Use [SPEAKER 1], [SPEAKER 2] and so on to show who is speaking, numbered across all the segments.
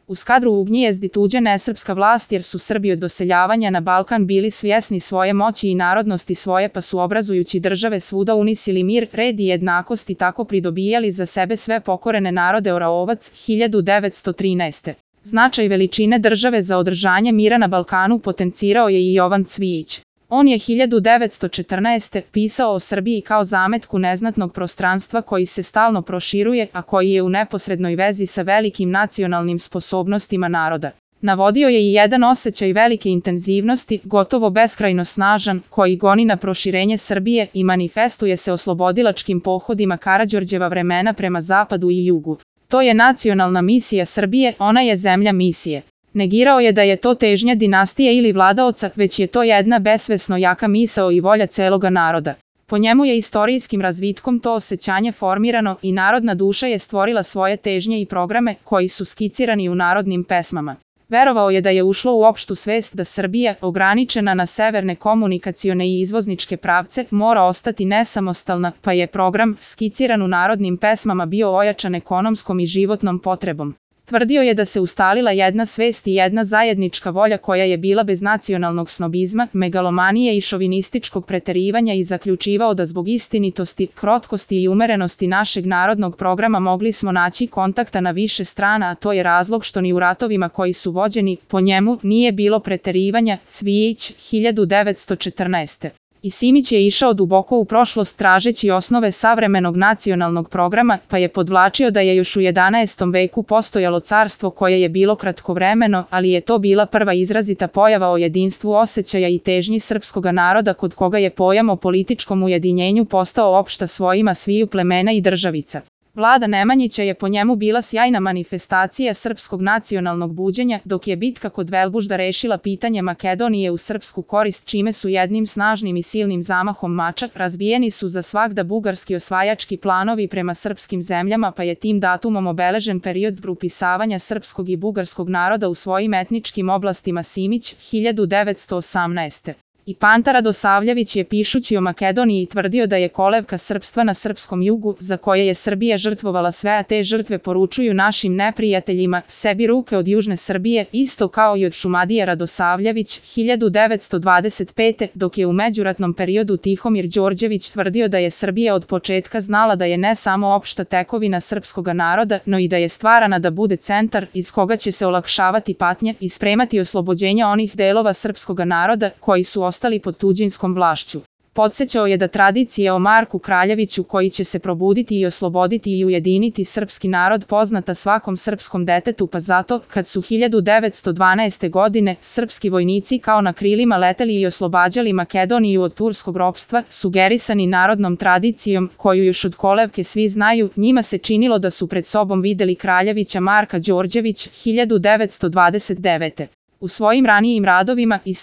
[SPEAKER 1] Uz kadru ugnjezdi tuđe nesrpska vlast jer su Srbi od doseljavanja na Balkan bili svjesni svoje moći i narodnosti svoje pa su obrazujući države svuda unisili mir, red i jednakost i tako pridobijali za sebe sve pokorene narode. Oraovac, 1913. Značaj veličine države za održanje mira na Balkanu potencirao je i Jovan Cvijić. On je 1914. pisao o Srbiji kao zametku neznatnog prostranstva koji se stalno proširuje, a koji je u neposrednoj vezi sa velikim nacionalnim sposobnostima naroda. Navodio je i jedan osjećaj velike intenzivnosti, gotovo beskrajno snažan, koji goni na proširenje Srbije i manifestuje se oslobodilačkim pohodima Karađorđeva vremena prema zapadu i jugu. To je nacionalna misija Srbije, ona je zemlja misije. Negirao je da je to težnja dinastije ili vladaoca, već je to jedna besvesno jaka misao i volja celoga naroda. Po njemu je istorijskim razvitkom to osjećanje formirano i narodna duša je stvorila svoje težnje i programe koji su skicirani u narodnim pesmama. Verovao je da je ušlo u opštu svest da Srbija, ograničena na severne komunikacione i izvozničke pravce, mora ostati nesamostalna, pa je program, skiciran u narodnim pesmama, bio ojačan ekonomskom i životnom potrebom. Tvrdio je da se ustalila jedna svest i jedna zajednička volja koja je bila bez nacionalnog snobizma, megalomanije i šovinističkog preterivanja i zaključivao da zbog istinitosti, krotkosti i umerenosti našeg narodnog programa mogli smo naći kontakta na više strana, a to je razlog što ni u ratovima koji su vođeni po njemu nije bilo preterivanja. Cvijić, 1914. I Simić je išao duboko u prošlost tražeći osnove savremenog nacionalnog programa, pa je podvlačio da je još u 11. veku postojalo carstvo koje je bilo kratkovremeno, ali je to bila prva izrazita pojava o jedinstvu osjećaja i težnji srpskoga naroda kod koga je pojam o političkom ujedinjenju postao opšta svojima sviju plemena i državica. Vlada Nemanjića je po njemu bila sjajna manifestacija srpskog nacionalnog buđenja, dok je bitka kod Velbužda rešila pitanje Makedonije u srpsku korist, čime su jednim snažnim i silnim zamahom mača razbijeni su za svagda bugarski osvajački planovi prema srpskim zemljama, pa je tim datumom obeležen period zgrupisavanja srpskog i bugarskog naroda u svojim etničkim oblastima. Simić, 1918. I Panta Radosavljević je pišući o Makedoniji tvrdio da je kolevka srpstva na srpskom jugu, za koje je Srbija žrtvovala sve, a te žrtve poručuju našim neprijateljima, sebi ruke od južne Srbije, isto kao i od Šumadije. Radosavljević, 1925. Dok je u međuratnom periodu Tihomir Đorđević tvrdio da je Srbija od početka znala da je ne samo opšta tekovina srpskoga naroda, no i da je stvarana da bude centar iz koga će se olakšavati patnje i spremati oslobođenja onih delova srpskoga naroda koji su ostali pod tuđinskom vlašću. Podsećao je da tradicija o Marku Kraljeviću koji će se probuditi i osloboditi i ujediniti srpski narod poznata svakom srpskom detetu, pa zato, kad su 1912. godine srpski vojnici kao na krilima leteli i oslobađali Makedoniju od turskog ropstva, sugerisani narodnom tradicijom, koju još od kolevke svi znaju, njima se činilo da su pred sobom videli Kraljevića Marka Đorđević, 1929. U svojim ranijim radovima i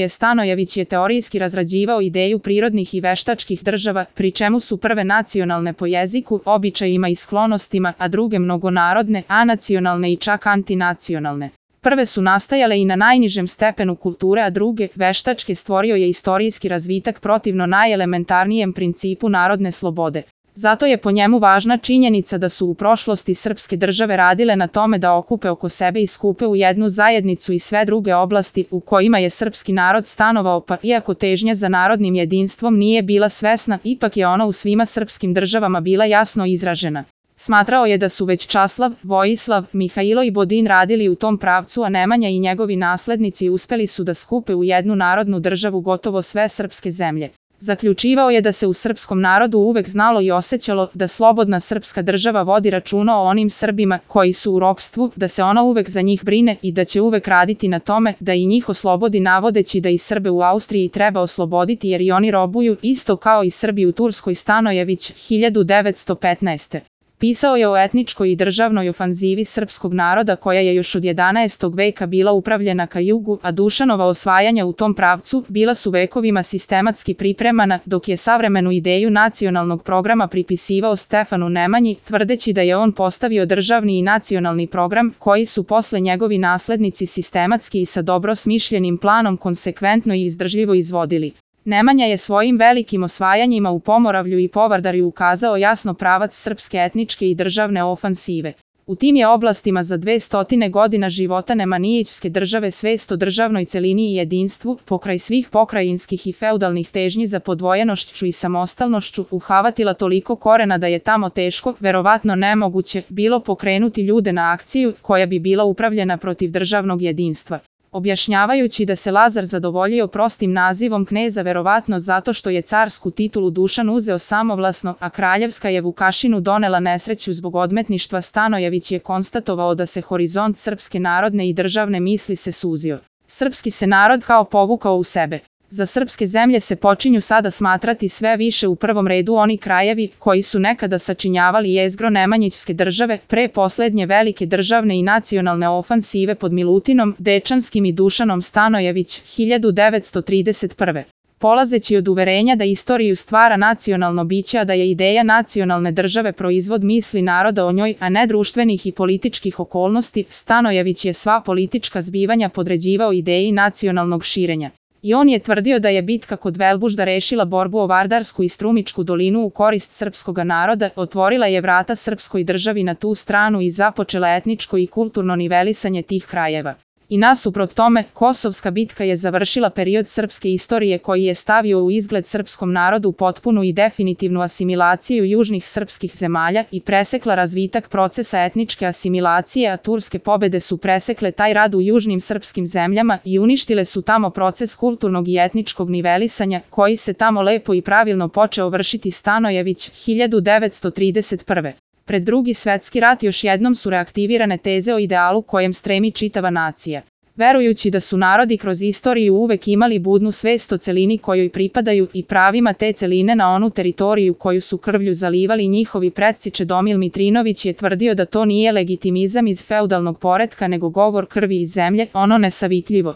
[SPEAKER 1] Stanojević je teorijski razrađivao ideju prirodnih i veštačkih država, pri čemu su prve nacionalne po jeziku, običajima i sklonostima, a druge mnogonarodne, anacionalne i čak antinacionalne. Prve su nastajale i na najnižem stepenu kulture, a druge, veštačke, stvorio je istorijski razvitak protivno najelementarnijem principu narodne slobode. Zato je po njemu važna činjenica da su u prošlosti srpske države radile na tome da okupe oko sebe i skupe u jednu zajednicu i sve druge oblasti u kojima je srpski narod stanovao, pa iako težnja za narodnim jedinstvom nije bila svesna, ipak je ona u svima srpskim državama bila jasno izražena. Smatrao je da su već Časlav, Vojislav, Mihailo i Bodin radili u tom pravcu, a Nemanja i njegovi naslednici uspeli su da skupe u jednu narodnu državu gotovo sve srpske zemlje. Zaključivao je da se u srpskom narodu uvek znalo i osjećalo da slobodna srpska država vodi računa o onim Srbima koji su u ropstvu, da se ona uvek za njih brine i da će uvek raditi na tome da i njih oslobodi, navodeći da i Srbe u Austriji treba osloboditi jer i oni robuju, isto kao i Srbi u Turskoj. Stanojević, 1915. Pisao je o etničkoj i državnoj ofanzivi srpskog naroda koja je još od 11. veka bila upravljena ka jugu, a Dušanova osvajanja u tom pravcu bila su vekovima sistematski pripremana, dok je savremenu ideju nacionalnog programa pripisivao Stefanu Nemanji, tvrdeći da je on postavio državni i nacionalni program koji su posle njegovi naslednici sistematski i sa dobro smišljenim planom konsekventno i izdržljivo izvodili. Nemanja je svojim velikim osvajanjima u Pomoravlju i Povardarju ukazao jasno pravac srpske etničke i državne ofansive. U tim je oblastima za 200 godina života Nemanjićske države svest o državnoj celini i jedinstvu, pokraj svih pokrajinskih i feudalnih težnji za podvojenošću i samostalnošću, uhavatila toliko korena da je tamo teško, verovatno nemoguće, bilo pokrenuti ljude na akciju koja bi bila upravljena protiv državnog jedinstva. Objašnjavajući da se Lazar zadovoljio prostim nazivom kneza verovatno zato što je carsku titulu Dušan uzeo samovlasno, a kraljevska je Vukašinu donela nesreću zbog odmetništva, Stanojević je konstatovao da se horizont srpske narodne i državne misli se suzio. Srpski se narod kao povukao u sebe. Za srpske zemlje se počinju sada smatrati sve više u prvom redu oni krajevi koji su nekada sačinjavali jezgro Nemanjićske države, pre poslednje velike državne i nacionalne ofansive pod Milutinom, Dečanskim i Dušanom Stanojević, 1931. Polazeći od uverenja da istoriju stvara nacionalno biće, a da je ideja nacionalne države proizvod misli naroda o njoj, a ne društvenih i političkih okolnosti, Stanojević je sva politička zbivanja podređivao ideji nacionalnog širenja. I on je tvrdio da je bitka kod Velbužda rešila borbu o Vardarsku i Strumičku dolinu u korist srpskoga naroda, otvorila je vrata srpskoj državi na tu stranu i započela etničko i kulturno nivelisanje tih krajeva. I nasuprot tome, Kosovska bitka je završila period srpske istorije koji je stavio u izgled srpskom narodu potpunu i definitivnu asimilaciju južnih srpskih zemalja i presekla razvitak procesa etničke asimilacije, a turske pobede su presekle taj rad u južnim srpskim zemljama i uništile su tamo proces kulturnog i etničkog nivelisanja, koji se tamo lepo i pravilno počeo vršiti. Stanojević, 1931. Pred Drugi svetski rat još jednom su reaktivirane teze o idealu kojem stremi čitava nacija. Verujući da su narodi kroz istoriju uvek imali budnu svest o celini kojoj pripadaju i pravima te celine na onu teritoriju koju su krvlju zalivali njihovi predci, Čedomil Mitrinović je tvrdio da to nije legitimizam iz feudalnog poretka nego govor krvi i zemlje, ono nesavitljivo.